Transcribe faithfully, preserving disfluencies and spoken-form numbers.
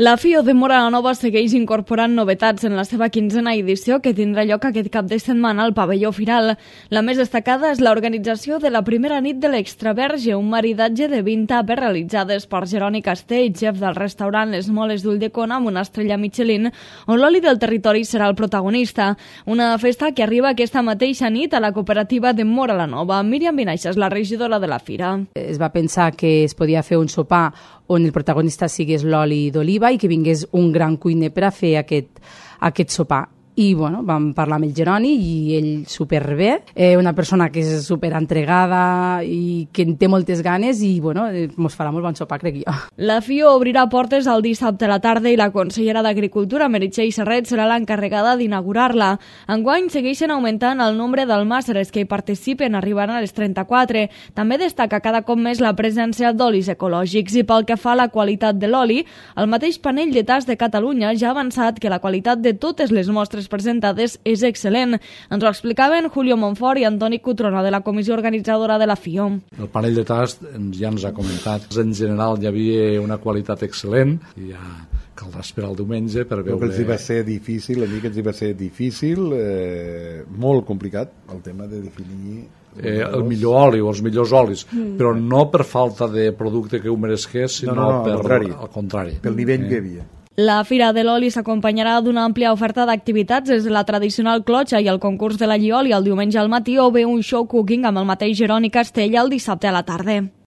La FIO de Móra la Nova segueix incorporant novetats en la seva quinzena edició que tindrà lloc aquest cap de setmana al pavelló Firal. La més destacada és l'organització de la primera nit de l'Extraverge, un maridatge de vint tapes realitzades per Jeroni Castell, xef del restaurant Les Moles d'Ulldecona amb una estrella Michelin, on l'oli del territori serà el protagonista. Una festa que arriba aquesta mateixa nit a la cooperativa de Móra la Nova. Míriam Vinaixa és la regidora de la fira. Es va pensar que es podia fer un sopar on el protagonista sigués l'oli d'oliva i que vingués un gran cuiner per a fer aquest, aquest sopar. I bueno, vam parlar amb el Jeroni i ell superbé, eh, una persona que és superentregada i que en té moltes ganes i bueno, ens farà molt bon sopar, crec jo. La FIO obrirà portes el dissabte a la tarda i la consellera d'Agricultura, Meritxell Serret, serà l'encarregada d'inaugurar-la. Enguany segueixen augmentant el nombre d'almàsseres que hi participen, arribant a les trenta-quatre. També destaca cada cop més la presència d'olis ecològics i pel que fa a la qualitat de l'oli, el mateix panell de tas de Catalunya ja ha avançat que la qualitat de totes les mostres presentades és excel·lent. Ens ho explicaven Julio Monfort i Antoni Cutrona de la comissió organitzadora de la FIO. El panell de tast ja ens ha comentat. En general hi havia una qualitat excel·lent i ja caldrà esperar el diumenge per veure... Que els hi va ser difícil, a mi que els hi va ser difícil, eh, molt complicat el tema de definir... Eh, el millor oli o els millors olis, mm. però no per falta de producte que ho meresqués, sinó no, no, per, al contrari. al contrari. Pel nivell eh. que hi havia. La Fira de l'Oli s'acompanyarà d'una àmplia oferta d'activitats des de la tradicional clotxa i el concurs de la llioli el diumenge al matí o bé un show cooking amb el mateix Jeroni Castell el dissabte a la tarda.